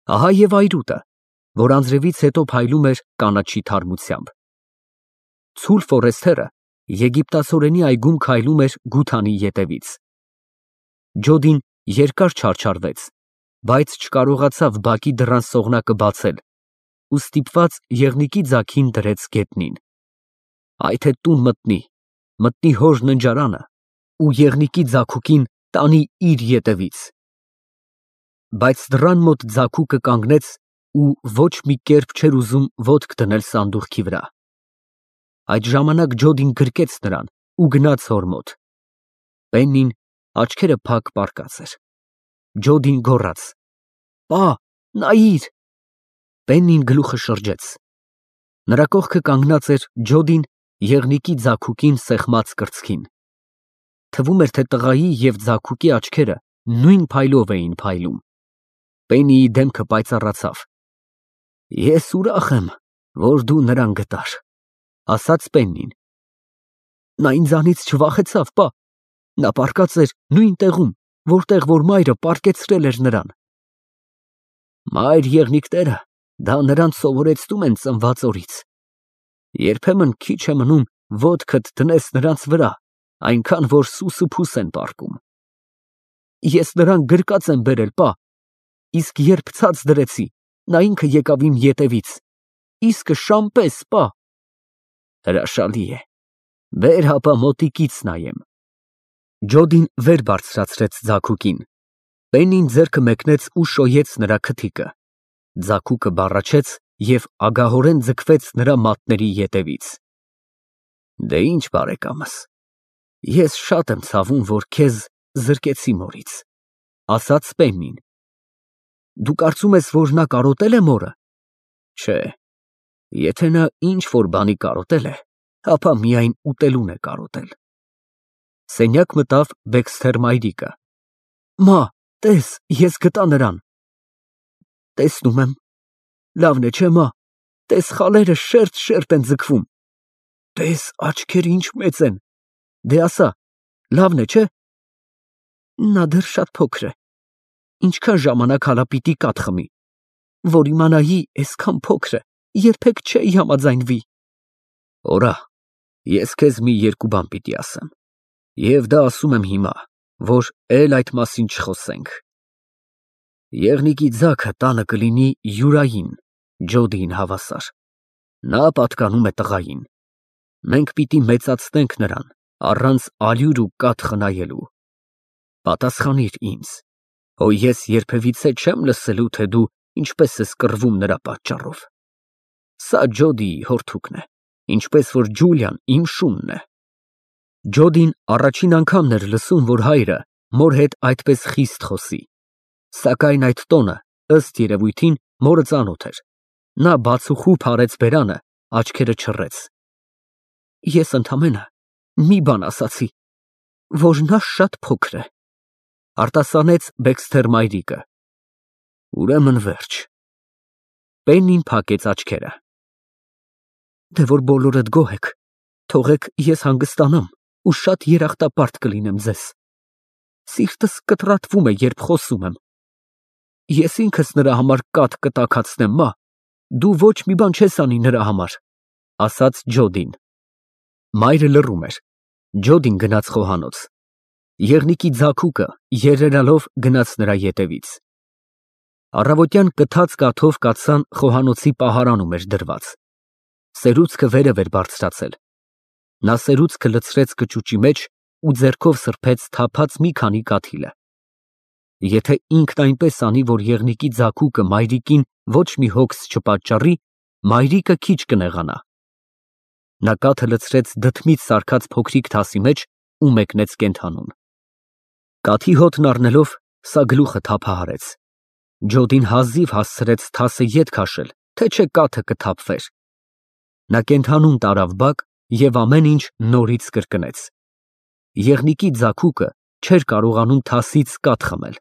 Ահա եւ այրուտը, որ անձրևից հետո փայլում էր կանաչի թարմությամբ։ Ցուլ Ֆորեսթերը եգիպտացորենի այգում քայլում էր Գութանի ետևից։ Ջոդին երկար չարչարվեց, բայց չկարողացավ բակի դռան սողնակը բացել ու ստիպված եղնիկի ձագին դրեց գետնին։ Այ թե տուն մտնի հոր ննջարանը ու եղնիկի ձագուկին տանի իր ետևից։ Բայց դռան մոտ ձագուկը կանգնեց ու ոչ մի կերպ չէր ուզում ոտք դնել սանդուղքի վրա։ Այդ ժամանակ Ջոդին գրկեց նրան ու գնաց հոր մոտ։ Պեննին աչքերը փակ պառկած էր։ Ջոդին գոռաց. «Պա, նայիր»։ Պեննին գլուխը շրջեց։ Նրա կողքը կանգնած էր Ջոդին եղնիկի ձագուկին սեղմած կրծքին։ Թվում էր, թե տղայի և ձագուկի աչքերը նույն փայլով էին փայլում։ Պեննիի դեմքը պայծառացավ։ «Ես ուրախ եմ, որ դու նրան գտար», ասաց Պեննին։ «Նա ինձանից չվախեցավ, պա։ Նա պառկած էր նույն տեղում, որտեղ որ մայրը պառկեցրել էր նրան»։ Մայր եղնիկները դա նրանց սովորեցնում են ծնված օրից։ Երբեմն քիչ է մնում ոտքդ դնես նրանց վրա, այնքան որ սուսուփուս են պառկում։ Ես նրան գրկած եմ բերել, պա, իսկ երբ ցած դրեցի, նա ինքը եկավ իմ ետևից, իսկը շան պես, պա։ Հրաշալի է, բեր հապա մոտիկից նայեմ։ Ջոդին վեր բարձրացրեց ձագուկին։ Պեննին ձեռքը մեկնեց ու շոյեց նրա քթիկը։ Ձագուկը բառաչեց և ագահորեն ձգվեց նրա մատների ետևից։ Դե ինչ, բարեկամս, ես շատ եմ ցավում, որ քեզ զրկեցի մորից, ասաց Պեննին։ Դու կարծում ես, որ նա կարոտել է մորը։ Չէ, եթե նա ինչ որ բանի կարոտել է, ապա միայն ուտելուն է կարոտել։ Սենյակ մտավ Բեքսթեր մայրիկը։ Մա, տես, ես գտա նրան։ Տեսնում եմ։ Լավն է, չէ՞, մա, տես խալերը շերտ են ձգվում։ Տես աչքերը ինչ մեծ են։ Դե ասա, լավն է, չէ՞։ Նա դեռ շատ փոքր է։ Ինչքան ժամանակ հալա պիտի կաթ խմի, որ իմանայի այսքան փոքր է, երբեք չէի համաձայնվի։ Օրա, ես քեզ մի երկու բան պիտի ասեմ, և դա ասում եմ հիմա, որ էլ այդ մասին չխոսենք։ Եղնիկի ձագը տանը կլինի Յուրային, Ջոդիին հավասար։ Նա պատկանում է տղային։ Մենք պիտի մեծացնենք նրան, առանց ալյուր ու կաթ խնայելու։ Պատասխանիր ինձ, հո ես երբևիցե չեմ լսելու, թե դու ինչպես ես կռվում նրա պատճառով։ Սա Ջոդիի հորթուկն է, ինչպես որ Ջուլիան իմ շունն է։ Ջոդին առաջին անգամն էր լսում, որ հայրը մոր հետ այդպես խիստ խոսի։ Սակայն այդ տոնը, ըստ երևույթին, մորը ծանոթ էր։ Նա բացուխու փարեց բերանը, աչքերը չռեց։ Ես ընդամենը մի բան ասացի, որ նա շատ փոքր է, արտասանեց Բեքսթեր մայրիկը։ Ուրեմն վերջ։ Պեննին փակեց աչքերը։ Դե որ բոլորդ գոհ եք, թողեք ես հանգստանամ ու շատ երախտապարտ կլինեմ ձեզ։ Սիրտս կտրատվում է, երբ խոսում եմ։ Ես ինքս նրա համար կաթ կտաքացնեմ, մա, դու ոչ մի բան չես անի նրա համար, ասաց Ջոդին։ Մայրը լռում էր։ Ջոդին գնաց խոհանոց։ Եղնիկի ձագուկը երերալով գնաց նրա ետևից։ Առավոտյան կթած կաթով կաթսան խոհանոցի պահարանում էր դրված։ Սերուցքը վերև էր բարձրացել։ Նա սերուցքը լցրեց կճուճի մեջ ու ձեռքով սրբեց թափած մի քանի կաթիլը։ Եթե ինքն այնպես անի, որ եղնիկի ձագուկը մայրիկին ոչ մի հոգս չպատճառի, մայրիկը քիչ կնեղանա։ Նա կաթը լցրեց դդմից սարքած փոքրիկ թասի մեջ ու մեկնեց կենդանուն։ Կաթի հոտն առնելով, սա գլուխը թափահարեց։ Ջոդին հազիվ հասցրեց թասը ետ քաշել, թե չէ կաթը կթափվեր։ Նա կենդանուն տարավ բակ և ամեն ինչ նորից կրկնեց։ Եղնիկի ձագուկը չէր կարողանում թասից կաթ խմել։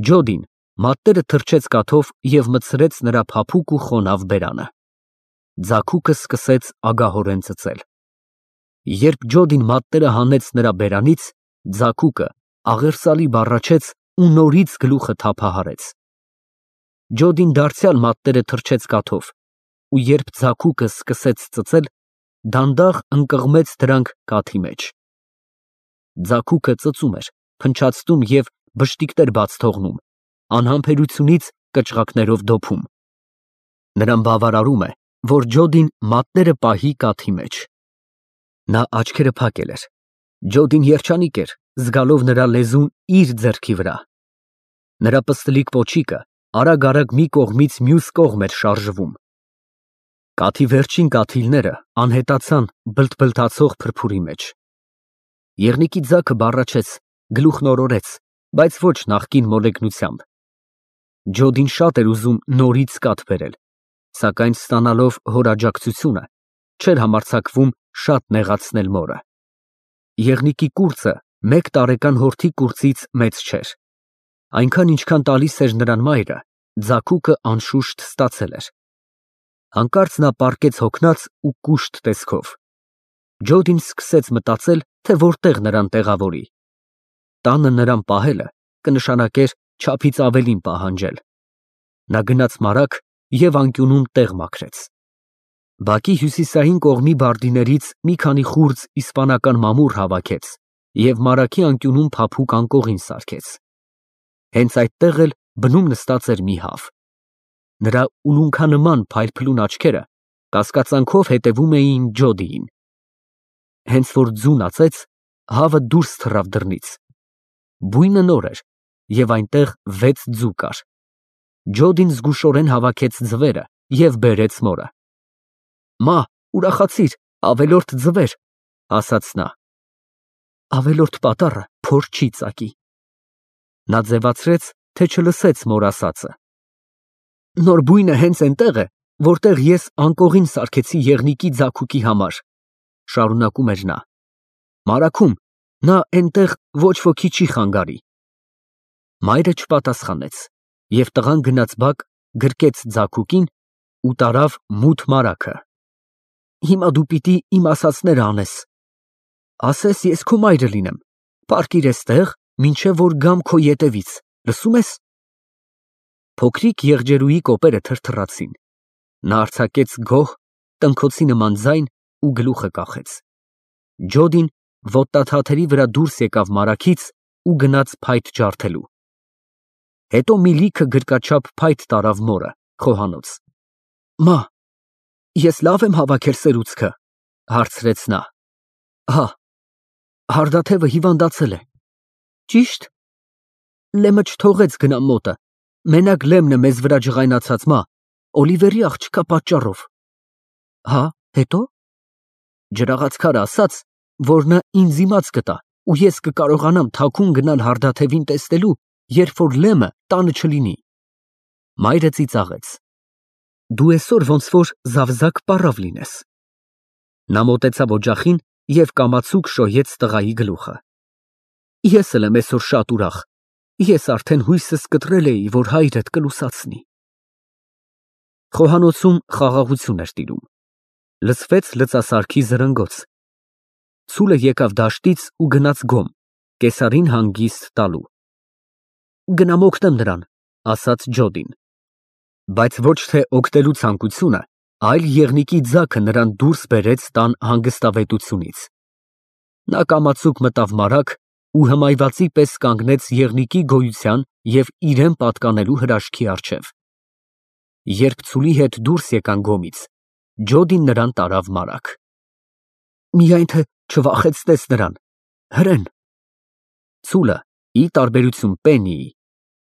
Ջոդին մատները թրջեց կաթով և մտցրեց նրա փափուկ ու խոնավ բերանը։ Ձագուկը սկսեց ագահորեն ծծել։ Երբ Ջոդին մատները հանեց նրա բերանից, ձագուկը աղերսալի բառաչեց ու նորից գլուխը թափահարեց։ Ջոդին դարձյալ մատները թռչեց կաթով, ու երբ ձագուկը սկսեց ծծել, դանդաղ ընկղմեց դրանք կաթի մեջ։ Ձագուկը ծծում էր, փնչացնում և բշտիկներ բաց թողնում, անհամբերությունից կճղակներով դոփում։ Նրան բավարարում է, որ Ջոդին մատները պահի կաթի մեջ։ Նա աչքերը փակել էր։ Ջոդին երջանիկ էր, զգալով նրա լեզուն իր ձեռքի վրա։ Նրա պստլիկ պոչիկը արագ-արագ մի կողմից մյուս կողմ էր շարժվում։ Կաթի վերջին կաթիլները անհետացան բլթբլթացող փրփուրի մեջ։ Եղնիկի ձագը բառաչեց, գլուխն օրորեց, բայց ոչ նախկին մոլեգնությամբ։ Ջոդին շատ էր ուզում նորից կաթ բերել, սակայն ստանալով հոր աջակցությունը, չէր համարձակվում շատ նեղացնել մորը։ Եղնիկի կուրծը մեկ տարեկան հորթի կուրծից մեծ չէր։ Այնքան, ինչքան տալիս էր նրան մայրը, ձագուկը անշուշտ ստացել էր։ Հանկարծ նա պառկեց հոգնած ու կուշտ տեսքով։ Ջոդին սկսեց մտածել, թե որտեղ նրան տեղավորի։ Տանը նրան պահելը կնշանակեր չափից ավելին պահանջել։ Նա գնաց մարագ և անկյունում տեղ մաքրեց։ Բակի հյուսիսային կողմի բարդիներից մի քանի խուրձ իսպանական մամուռ հավաքեց և մարագի անկյունում փափուկ անկողին սարքեց։ Հենց այդտեղ էլ բնում նստած էր մի հավ։ Նրա ուլունքանման փայլփլուն աչքերը կասկածանքով հետևում էին Ջոդիին։ Հենց որ ձուն ածեց, հավը դուրս թռավ դռնից։ Բույնը նոր էր, և այնտեղ 6 ձու կար։ Ջոդին զգուշորեն հավաքեց ձվերը և բերեց մորը։ Մա, ուրախացիր, ավելորդ ձվեր, ասաց նա։ Ավելորդ պատառը փոր չի ծակի։ Նա ձևացրեց, թե չլսեց մոր ասածը։ Նոր բույնը հենց այնտեղ է, որտեղ ես անկողին սարքեցի եղնիկի ձագուկի համար, շարունակում էր նա։ Մարագում նա այնտեղ ոչ ոքի չի խանգարի։ Մայրը չպատասխանեց, և տղան գնաց բակ, գրկեց ձագուկին ու տարավ մութ մարագը։ Հիմա դու պիտի իմ ասածները անես։ Ասես ես քո մայրը լինեմ, պառկիր էստեղ, մինչև որ գամ քո ետևից, լսո՞ւմ ես։ Փոքրիկ եղջերուի կոպերը թրթռացին։ Նա արձակեց գոհ, տնքոցի նման ձայն ու գլուխը կախեց։ Ջոդին ոտնաթաթերի վրա դուրս եկավ մարագից ու գնաց փայտ ջարդելու։ Հետո մի լիքը գրկաչափ փայտ տարավ մորը, խոհանոց։ Մա, ես լավ եմ հավաքել սերուցքը, հարցրեց նա։ Հա, հարդաթևը հիվանդացել է։ Ճիշտ։ Լեմը չթողեց գնամ մոտը, մենակ Լեմն է մեզ վրա ջղայնացած, մա, Օլիվերի աղջկա պատճառով։ Հա, հետո։ Ջրաղացքարը ասաց, որ նա ինձ իմաց կտա, ու ես կկարողանամ թաքուն գնալ հարդաթևին տեսնելու, երբ որ Լեմը տանը չլինի։ Մայրը ծիծաղեց։ Դու այսօր ոնց որ զավզակ պառավ լինես։ Նա մոտեցավ օջախին և կամացուկ շոյեց տղայի գլուխը։ Ես էլ եմ այսօր շատ ուրախ։ Ես արդեն հույսս կտրել էի, որ հայրդ կլուսացնի։ Խոհանոցում խաղաղություն էր տիրում։ Լսվեց լծասարքի զրնգոց։ Ցուլը եկավ դաշտից ու գնաց գոմ, կեսարին հանգիստ տալու։ Գնամ օգնեմ նրան, ասաց Ջոդին։ Բայց ոչ թե օգնելու ցանկությունը, այլ եղնիկի ձագը նրան դուրս բերեց տան հանգստավետությունից։ Նա կամացուկ մտավ մարագ ու հմայվածի պես կանգնեց եղնիկի գոյության և իրեն պատկանելու հրաշքի առջև։ Երբ ցուլի հետ դուրս եկան գոմից, Ջոդին նրան տարավ մարագ։ Միայն թե չվախեցնես նրան, հրեն։ Ցուլը, ի տարբերություն Պեննիի,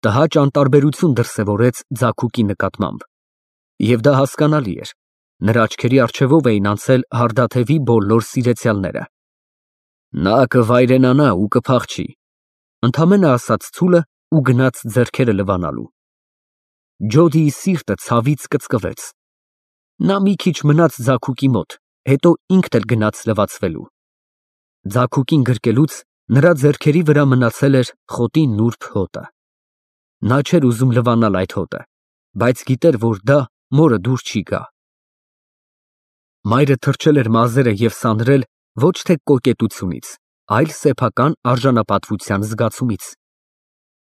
տհաճ անտարբերություն դրսևորեց ձագուկի նկատմամբ։ Եվ դա հասկանալի էր, նրա աչքերի առջևով էին անցել հարդաթևի բոլոր սիրեցյալները։ Նա կվայրենանա ու կփախչի, ընդամենը ասաց ցուլը ու գնաց ձեռքերը լվանալու։ Ջոդիի սիրտը ցավից կծկվեց։ Նա մի քիչ մնաց ձագուկի մոտ, հետո ինքն էլ գնաց լվացվելու։ Ձագուկին գրկելուց նրա ձեռքերի վրա մնացել էր խոտի նուրբ հոտը։ Նա չէր ուզում լվանալ այդ հոտը, բայց գիտեր, որ դա մորը դուր չի գա։ Մայրը թրջել էր մազերը և սանրել ոչ թե կոկետությունից, այլ սեփական արժանապատվության զգացումից։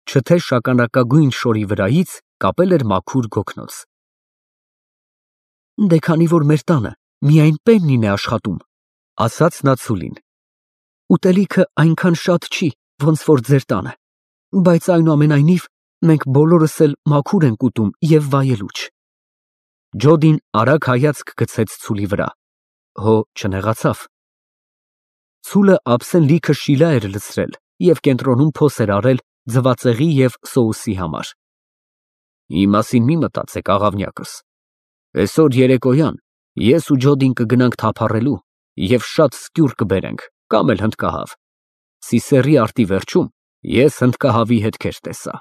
Չթե շագանակագույն շորի վրայից կապել էր մաքուր գոգնոց։ Դե քանի որ մեր տանը միայն Պեննին է աշխատում, ասաց նա Ցուլին։ Ուտելիքը այնքան շատ չի, ոնց որ ձեր տանը, բայց այնուամենայնիվ մենք բոլորս էլ մաքուր ենք ուտում եւ վայելուչ։ Ջոդին արագ հայացք գցեց Ցուլի վրա, հո չնեղացավ։ Ցուլը ափսեն լիքը շիլա էր լցրել եւ կենտրոնում փոս էր արել ձվածեղի եւ սոուսի համար։ Իմ մասին մի մտածեք, աղավնյակս։ Այսօր երեկոյան ես ու Ջոդին կգնանք թափառելու եւ շատ սկյուր կբերենք, կամ էլ հնդկահավ։ Սիսերի արտի վերջում ես հնդկահավի հետքեր տեսա։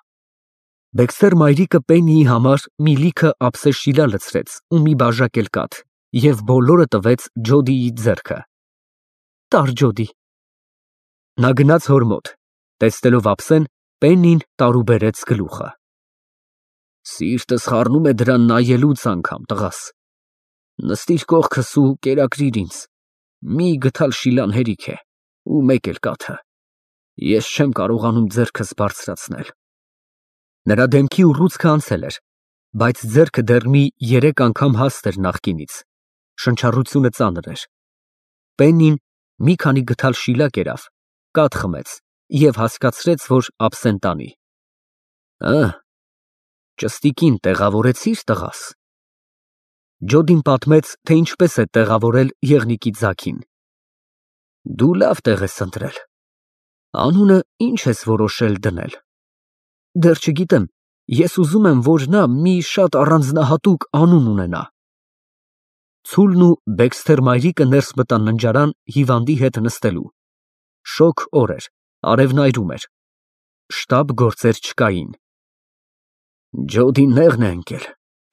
Բեքսթեր մայրիկը Պեննիի համար մի լիքը ափսե շիլա լցրեց ու մի բաժակ էլ կաթ եւ բոլորը տվեց Ջոդիի ձեռքը։ Տար Ջոդի։ Նա գնաց հոր մոտ, տեսնելով ափսեն, Պեննին տարուբերեց գլուխը։ Սիրտս խառնում է դրան նայելուց անգամ, տղաս։ Նստիր կողքս ու կերակրիր ինձ։ Մի գթալ շիլան հերիք է, ու մեկ էլ կաթը։ Ես չեմ կարողանում ձեռքս բարձրացնել։ Նրա դեմքի ուռուցքը անցել էր, բայց ձեռքը դեռ մի 3 անգամ հաստ էր նախկինից։ Շնչառությունը ծանր էր։ Պեննին մի քանի գթալ շիլա կերավ, կաթ խմեց եւ հասկացրեց, որ ափսեն տանի։ Ճստիկին տեղավորեցի՞ր, տղաս։ Ջոդին պատմեց, թե ինչպես է տեղավորել եղնիկի ձագին։ Դու լավ տեղ ես ընտրել։ Անունը ինչ ես որոշել դնել։ Դեռ չգիտեմ, ես ուզում եմ, որ նա մի շատ առանձնահատուկ անուն ունենա։ Ցուլն ու Բեքսթեր մայրիկը ներս մտան ննջարան հիվանդի հետ նստելու։ Շոգ օր էր, արևն այրում էր։ Շտապ գործեր չկային։ Ջոդին նեղն է ընկել,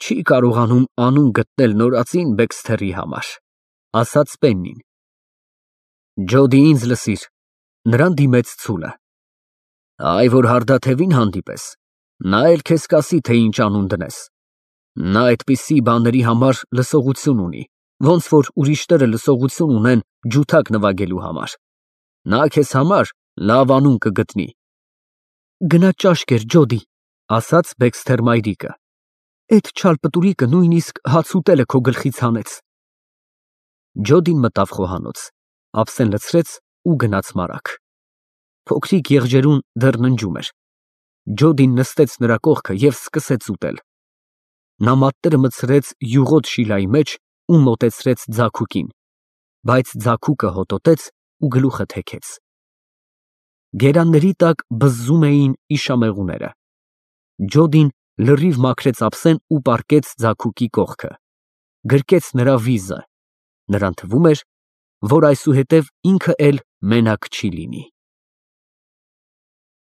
չի կարողանում անուն գտնել նորածին Բեքսթերի համար, ասաց Պեննին։ Ջոդի, ինձ լսիր, նրան դիմեց Ցուլը։ Այ որ հարդաթևին հանդիպես, նա էլ քեզ կասի, թե ինչ անուն դնես։ Նա այդպիսի բաների համար լսողություն ունի, ոնց որ ուրիշները լսողություն ունեն ջութակ նվագելու համար։ Նա քեզ համար լավ անուն կգտնի։ Գնա ճաշ կեր, Ջոդի, ասաց Բեքսթեր մայրիկը։ Էդ չալպտուրիկը նույնիսկ հաց ուտելը քո գլխից հանեց։ Ջոդին մտավ խոհանոց, ափսեն լցրեց ու գնաց մարակ։ Փոքրիկ եղջերուն դեռ ննջում էր։ Ջոդին նստեց նրա կողքը եւ սկսեց ուտել։ Նա մատները մտցրեց յուղոտ շիլայի մեջ ու մոտեցրեց ձագուկին, բայց ձագուկը հոտոտեց ու գլուխը թեքեց։ Գերանների տակ բզզում էին իշամեղուները։ Ջոդին լրիվ մաքրեց ափսեն ու պառկեց ձագուկի կողքը, գրկեց նրա վիզը։ Նրան թվում էր, որ այսուհետև ինքը էլ մենակ չի լինի։